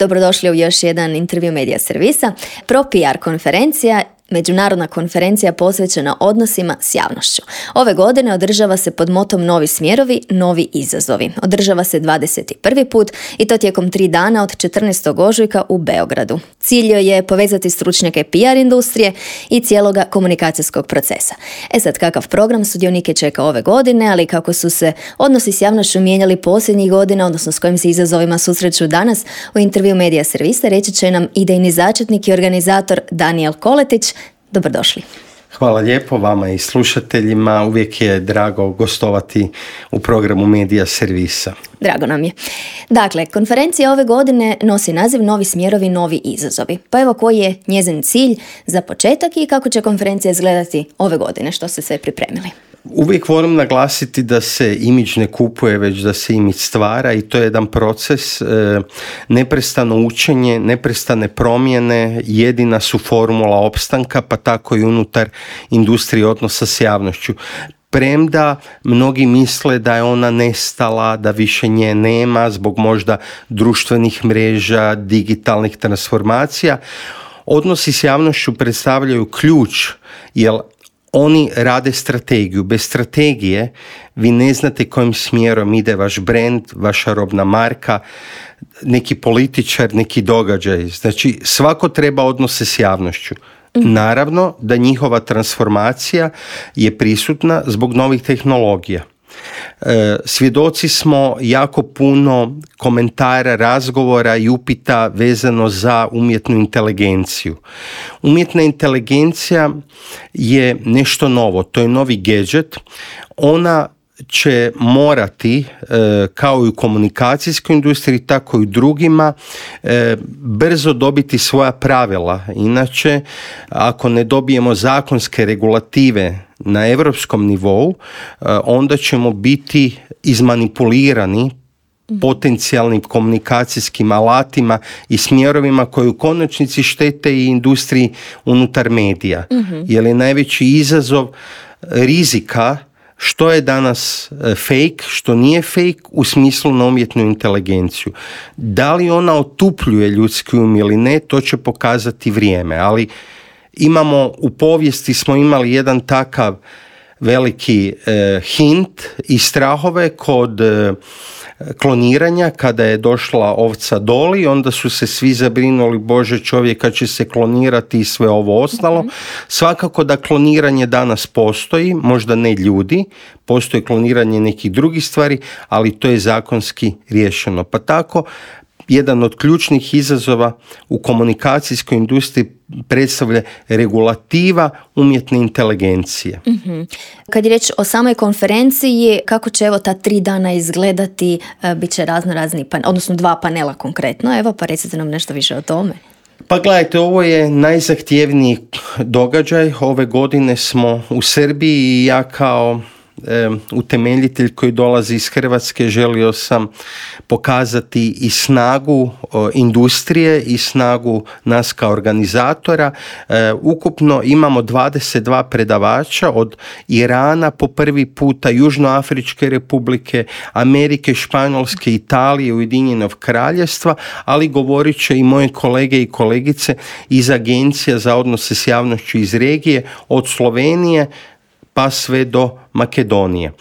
Dobrodošli u još jedan intervju Medija servisa. ProPR konferencija, međunarodna konferencija posvećena odnosima s javnošću. Ove godine održava se pod motom Novi smjerovi, novi izazovi. Održava se 21. put i to tijekom 3 dana od 14. ožujka u Beogradu. Cilj joj je povezati stručnjake PR industrije i cijeloga komunikacijskog procesa. Sad, kakav program sudionike čeka ove godine, ali kako su se odnosi s javnošću mijenjali posljednjih godina, odnosno s kojim se izazovima susreću danas, u intervju Medija servisa reći će nam idejni začetnik i organizator Danijel Koletić. Dobrodošli. Hvala lijepo vama i slušateljima. Uvijek je drago gostovati u programu Medija servisa. Drago nam je. Dakle, konferencija ove godine nosi naziv Novi smjerovi, novi izazovi. Pa evo koji je njezin cilj za početak i kako će konferencija izgledati ove godine, što ste sve pripremili? Uvijek volim naglasiti da se imidž ne kupuje, već da se imidž stvara i to je jedan proces, neprestano učenje, neprestane promjene, jedina su formula opstanka, pa tako i unutar industrije odnosa s javnošću. Premda mnogi misle da je ona nestala, da više nje nema zbog možda društvenih mreža, digitalnih transformacija, odnosi s javnošću predstavljaju ključ, jer oni rade strategiju. Bez strategije vi ne znate kojim smjerom ide vaš brand, vaša robna marka, neki političar, neki događaj. Znači, svako treba odnose s javnošću. Naravno da njihova transformacija je prisutna zbog novih tehnologija. Svjedoci smo jako puno komentara, razgovora i upita vezano za umjetnu inteligenciju. Umjetna inteligencija je nešto novo, to je novi gadget. Ona će morati, kao i u komunikacijskoj industriji, tako i u drugima, brzo dobiti svoja pravila. Inače, ako ne dobijemo zakonske regulative na europskom nivou, onda ćemo biti izmanipulirani potencijalnim komunikacijskim alatima i smjerovima koji u konačnici štete i industriji unutar medija. Jer je najveći izazov rizika što je danas fake, što nije fake u smislu na umjetnu inteligenciju. Da li ona otupljuje ljudski um ili ne, to će pokazati vrijeme, ali u povijesti smo imali jedan takav veliki hint i strahove kod kloniranja, kada je došla ovca Doli, onda su se svi zabrinuli, Bože, čovjeka će se klonirati i sve ovo ostalo. Svakako da kloniranje danas postoji, možda ne ljudi, postoji kloniranje nekih drugih stvari, ali to je zakonski riješeno. Pa tako, jedan od ključnih izazova u komunikacijskoj industriji predstavlja regulativa umjetne inteligencije. Kad je riječ o samoj konferenciji, kako će ta 3 dana izgledati, bit će razni odnosno 2 panela konkretno, pa recite nam nešto više o tome. Pa gledajte, ovo je najzahtjevniji događaj. Ove godine smo u Srbiji i ja kao utemeljitelj koji dolazi iz Hrvatske želio sam pokazati i snagu industrije i snagu nas kao organizatora. Ukupno imamo 22 predavača od Irana po prvi puta, Južnoafričke republike, Amerike, Španjolske, Italije, Ujedinjenog Kraljevstva, ali govorit će i moje kolege i kolegice iz Agencija za odnose s javnošću iz regije, od Slovenije pa sve do Makedonije.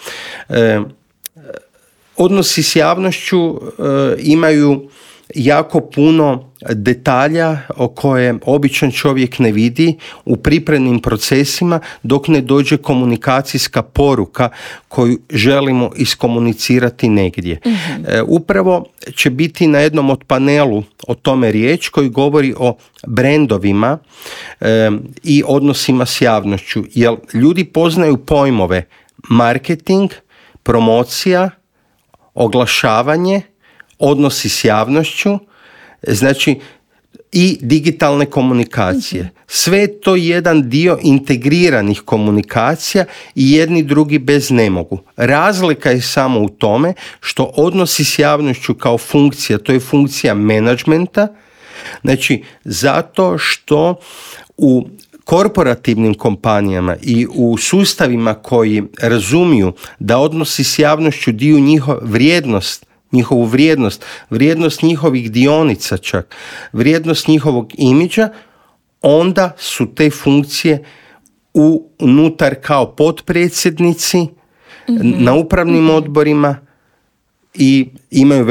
Odnosi s javnošću imaju jako puno detalja o koje običan čovjek ne vidi u pripremnim procesima dok ne dođe komunikacijska poruka koju želimo iskomunicirati negdje. Upravo će biti na jednom od panelu o tome riječ koji govori o brendovima i odnosima s javnošću, jer ljudi poznaju pojmove marketing, promocija, oglašavanje, odnosi s javnošću, znači i digitalne komunikacije. Sve je to jedan dio integriranih komunikacija i jedni drugi bez ne mogu. Razlika je samo u tome što odnosi s javnošću kao funkcija, to je funkcija menadžmenta, znači zato što u korporativnim kompanijama i u sustavima koji razumiju da odnosi s javnošću dio njihov vrijednost njihovu vrijednost njihovih dionica čak, vrijednost njihovog imidža, onda su te funkcije unutar kao potpredsjednici na upravnim odborima i imaju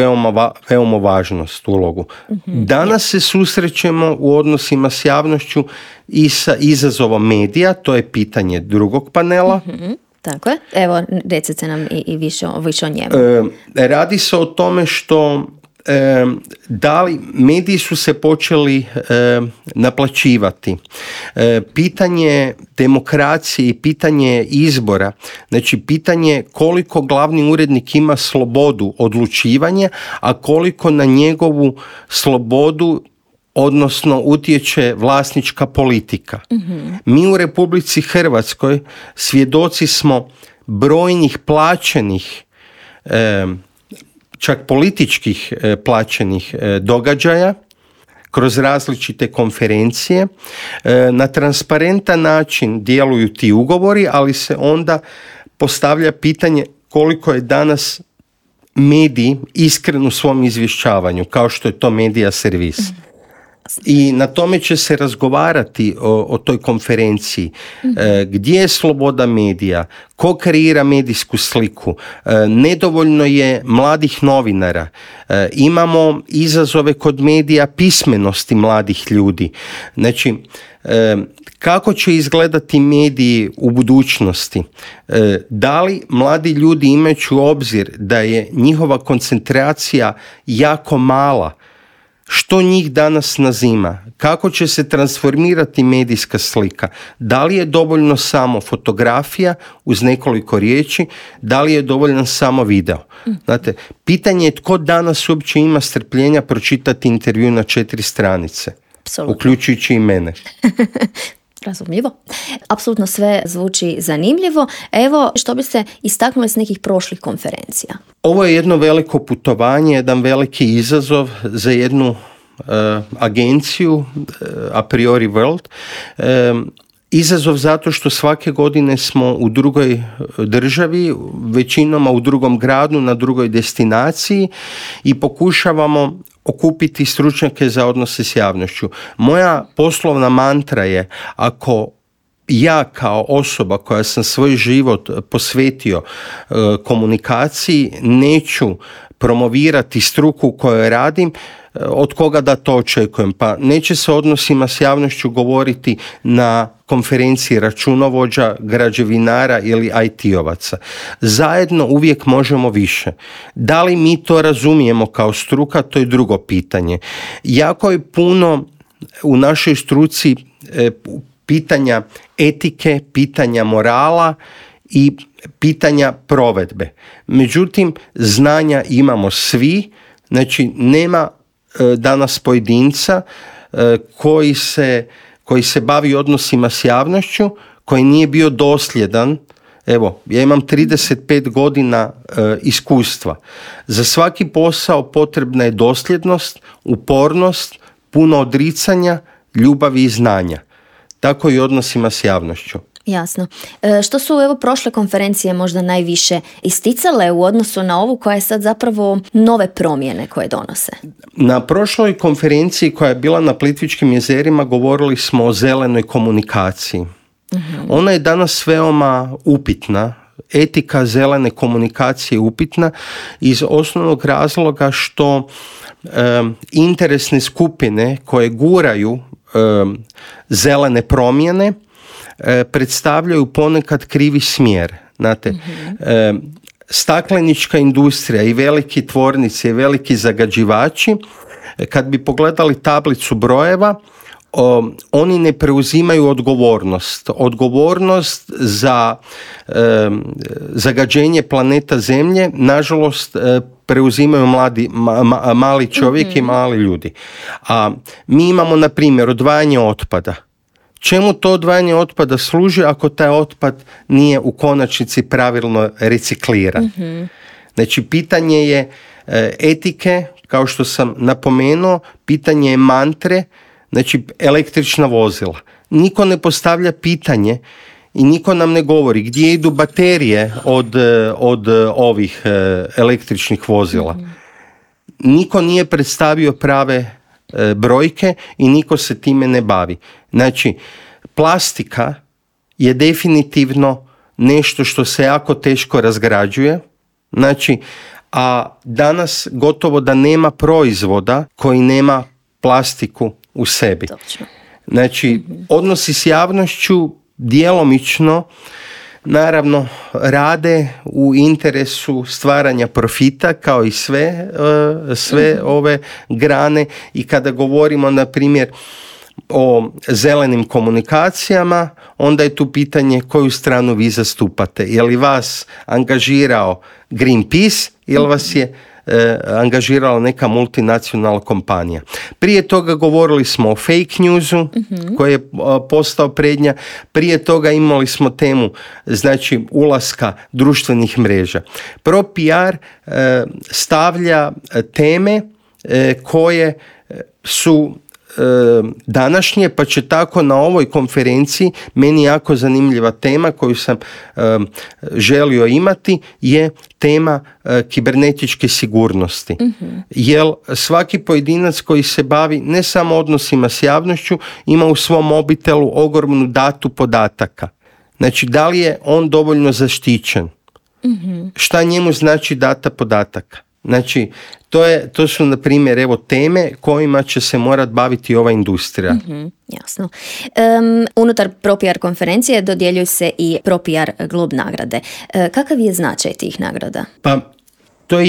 veoma važnost ulogu. Danas se susrećemo u odnosima s javnošću i sa izazovom medija, to je pitanje drugog panela. Tako je. Evo, recite nam i više o njemu. Radi se o tome što da li mediji su se počeli naplaćivati. Pitanje demokracije i pitanje izbora, znači pitanje koliko glavni urednik ima slobodu odlučivanja, a koliko na njegovu slobodu odnosno utječe vlasnička politika. Mi u Republici Hrvatskoj svjedoci smo brojnih plaćenih čak političkih plaćenih događaja kroz različite konferencije. Na transparentan način djeluju ti ugovori, ali se onda postavlja pitanje koliko je danas medij iskren u svom izvješćavanju, kao što je to Medija servis. I na tome će se razgovarati o toj konferenciji. Gdje je sloboda medija, ko kreira medijsku sliku, nedovoljno je mladih novinara, imamo izazove kod medija pismenosti mladih ljudi. Znači, kako će izgledati mediji u budućnosti? Da li mladi ljudi, imajući u obzir da je njihova koncentracija jako mala, što njih danas nazima? Kako će se transformirati medijska slika? Da li je dovoljno samo fotografija uz nekoliko riječi? Da li je dovoljan samo video? Znate, pitanje je tko danas uopće ima strpljenja pročitati intervju na 4 stranice, Apsolutno. Uključujući i mene. Razumljivo. Apsolutno sve zvuči zanimljivo. Evo, što biste istaknuli s nekih prošlih konferencija? Ovo je jedno veliko putovanje, jedan veliki izazov za jednu agenciju, a priori World. Izazov zato što svake godine smo u drugoj državi, većinom u drugom gradu, na drugoj destinaciji i pokušavamo okupiti stručnjake za odnose s javnošću. Moja poslovna mantra je, ako ja kao osoba koja sam svoj život posvetio komunikaciji, neću promovirati struku u kojoj radim, od koga da to očekujem? Pa neće se odnosima s javnošću govoriti na konferenciji računovođa, građevinara ili IT-ovaca. Zajedno uvijek možemo više. Da li mi to razumijemo kao struka, to je drugo pitanje. Jako je puno u našoj struci pitanja etike, pitanja morala i pitanja provedbe. Međutim, znanja imamo svi, znači nema danas pojedinca koji se bavi odnosima s javnošću, koji nije bio dosljedan. Evo, ja imam 35 godina iskustva. Za svaki posao potrebna je dosljednost, upornost, puno odricanja, ljubavi i znanja. Tako i odnosima s javnošću. Jasno. Što su prošle konferencije možda najviše isticale u odnosu na ovu koja je sad zapravo nove promjene koje donose? Na prošloj konferenciji koja je bila na Plitvičkim jezerima govorili smo o zelenoj komunikaciji. Ona je danas veoma upitna. Etika zelene komunikacije je upitna iz osnovnog razloga što interesne skupine koje guraju zelene promjene predstavljaju ponekad krivi smjer. Znate, staklenička industrija i veliki tvornice i veliki zagađivači, kad bi pogledali tablicu brojeva, oni ne preuzimaju odgovornost za zagađenje planeta Zemlje. Nažalost, preuzimaju mali čovjek i mali ljudi. A mi imamo, na primjer, odvajanje otpada. Čemu to odvajanje otpada služi ako taj otpad nije u konačnici pravilno recikliran? Znači, pitanje je etike, kao što sam napomenuo, pitanje je mantre, znači električna vozila. Niko ne postavlja pitanje i niko nam ne govori gdje idu baterije od ovih električnih vozila. niko nije predstavio prave brojke i niko se time ne bavi. Znači, plastika je definitivno nešto što se jako teško razgrađuje, znači, a danas gotovo da nema proizvoda koji nema plastiku u sebi. Točno. Znači, odnosi s javnošću djelomično naravno rade u interesu stvaranja profita kao i sve ove grane, i kada govorimo na primjer o zelenim komunikacijama, onda je tu pitanje koju stranu vi zastupate. Je li vas angažirao Greenpeace ili vas je angažirala neka multinacionalna kompanija. Prije toga govorili smo o fake newsu koji je postao prednja. Prije toga imali smo temu, znači, ulaska društvenih mreža. ProPR stavlja teme koje su današnje, pa će tako na ovoj konferenciji, meni jako zanimljiva tema koju sam želio imati, je tema kibernetičke sigurnosti. Jer svaki pojedinac koji se bavi ne samo odnosima s javnošću ima u svom mobitelu ogromnu datu podataka. Znači, da li je on dovoljno zaštićen? Šta njemu znači data podataka? Znači, to su, na primjer, evo, teme kojima će se morati baviti ova industrija. Jasno. Unutar ProPR konferencije dodjeljuju se i ProPR Globe nagrade. Kakav je značaj tih nagrada? Pa, to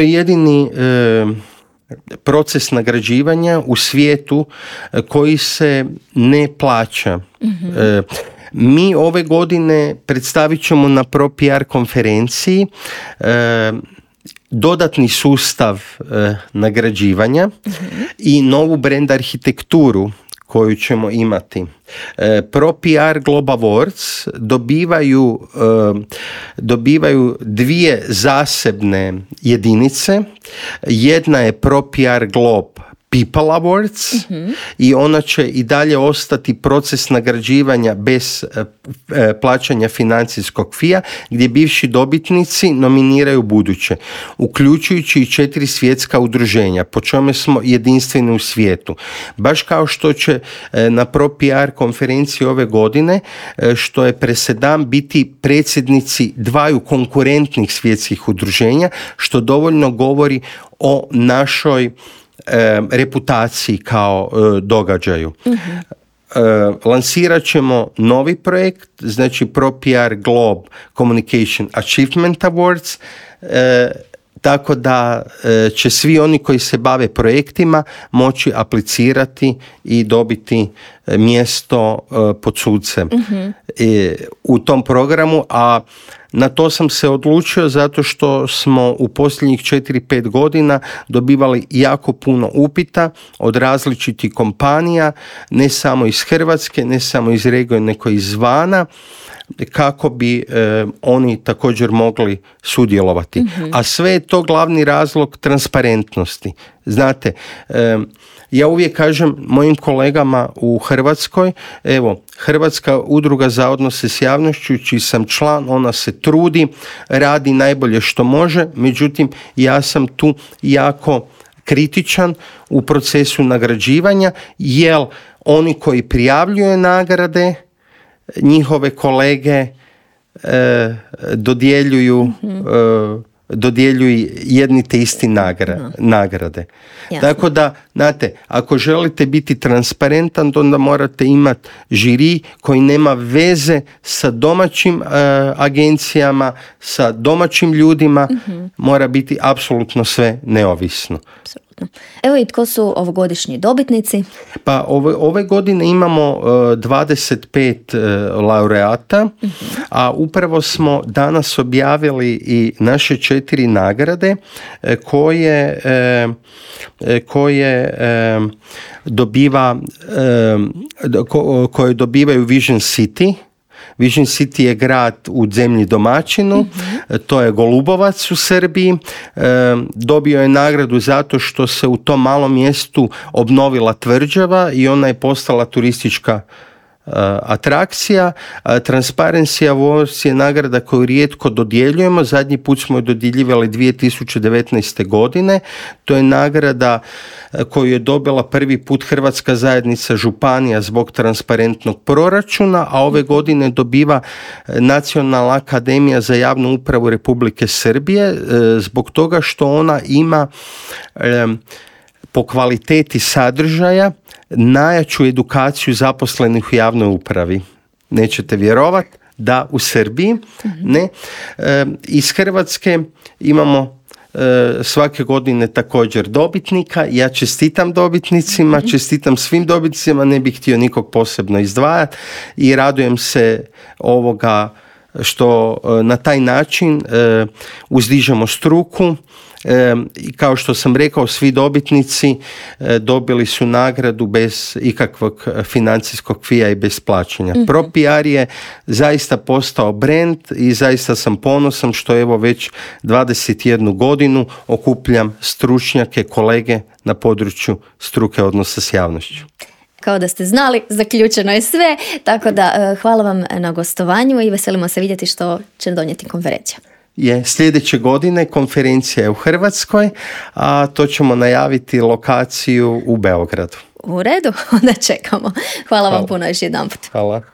je jedini proces nagrađivanja u svijetu koji se ne plaća. Mi ove godine predstavit ćemo na ProPR konferenciji dodatni sustav nagrađivanja i novu brand arhitekturu koju ćemo imati. ProPR Globe Awards dobivaju dvije zasebne jedinice. Jedna je ProPR Globe People Awards i ona će i dalje ostati proces nagrađivanja bez plaćanja financijskog fija, gdje bivši dobitnici nominiraju buduće, uključujući i 4 svjetska udruženja, po čemu smo jedinstveni u svijetu. Baš kao što će na ProPR konferenciji ove godine, što je presedan, biti predsjednici dvaju konkurentnih svjetskih udruženja, što dovoljno govori o našoj reputaciji kao događaju. Lansirat ćemo novi projekt, znači ProPR Globe Communication Achievement Awards, tako da će svi oni koji se bave projektima moći aplicirati i dobiti mjesto pod sucem u tom programu, a na to sam se odlučio zato što smo u posljednjih 4-5 godina dobivali jako puno upita od različitih kompanija, ne samo iz Hrvatske, ne samo iz regije, nego izvana, kako bi oni također mogli sudjelovati. A sve je to glavni razlog transparentnosti. Znate, ja uvijek kažem mojim kolegama u Hrvatskoj, evo, Hrvatska udruga za odnose s javnošću, čiji sam član, ona se trudi, radi najbolje što može, međutim, ja sam tu jako kritičan u procesu nagrađivanja, jer oni koji prijavljuju nagrade, njihove kolege dodjeljuju jedni te isti nagrade. Jasno. Tako da, znate, ako želite biti transparentan, onda morate imati žiri koji nema veze sa domaćim agencijama, sa domaćim ljudima, mora biti apsolutno sve neovisno. Apsolutno. Evo i tko su ovogodišnji dobitnici? Pa ove godine imamo 25 laureata, a upravo smo danas objavili i naše 4 nagrade koje dobivaju Vision City. Vision City je grad u zemlji domaćinu, to je Golubovac u Srbiji. Dobio je nagradu zato što se u tom malom mjestu obnovila tvrđava i ona je postala turistička atrakcija. Transparency Awards je nagrada koju rijetko dodjeljujemo. Zadnji put smo je dodjeljivali 2019. godine. To je nagrada koju je dobila prvi put Hrvatska zajednica županija zbog transparentnog proračuna, a ove godine dobiva Nacionalna akademija za javnu upravu Republike Srbije zbog toga što ona ima po kvaliteti sadržaja najjaču edukaciju zaposlenih u javnoj upravi. Nećete vjerovati da u Srbiji, ne. Iz Hrvatske imamo svake godine također dobitnika. Ja čestitam dobitnicima, čestitam svim dobitnicima, ne bih htio nikog posebno izdvajati i radujem se ovoga što na taj način uzdižemo struku. I kao što sam rekao, svi dobitnici dobili su nagradu bez ikakvog financijskog fija i bez plaćanja. ProPR je zaista postao brand i zaista sam ponosan što evo već 21 godinu okupljam stručnjake, kolege na području struke odnosa s javnošću. Kao da ste znali, zaključeno je sve, tako da hvala vam na gostovanju i veselimo se vidjeti što će donijeti konferencija. Sljedeće godine konferencija je u Hrvatskoj, a to ćemo najaviti lokaciju u Beogradu. U redu, onda čekamo. Hvala vam puno još jedanput. Hvala.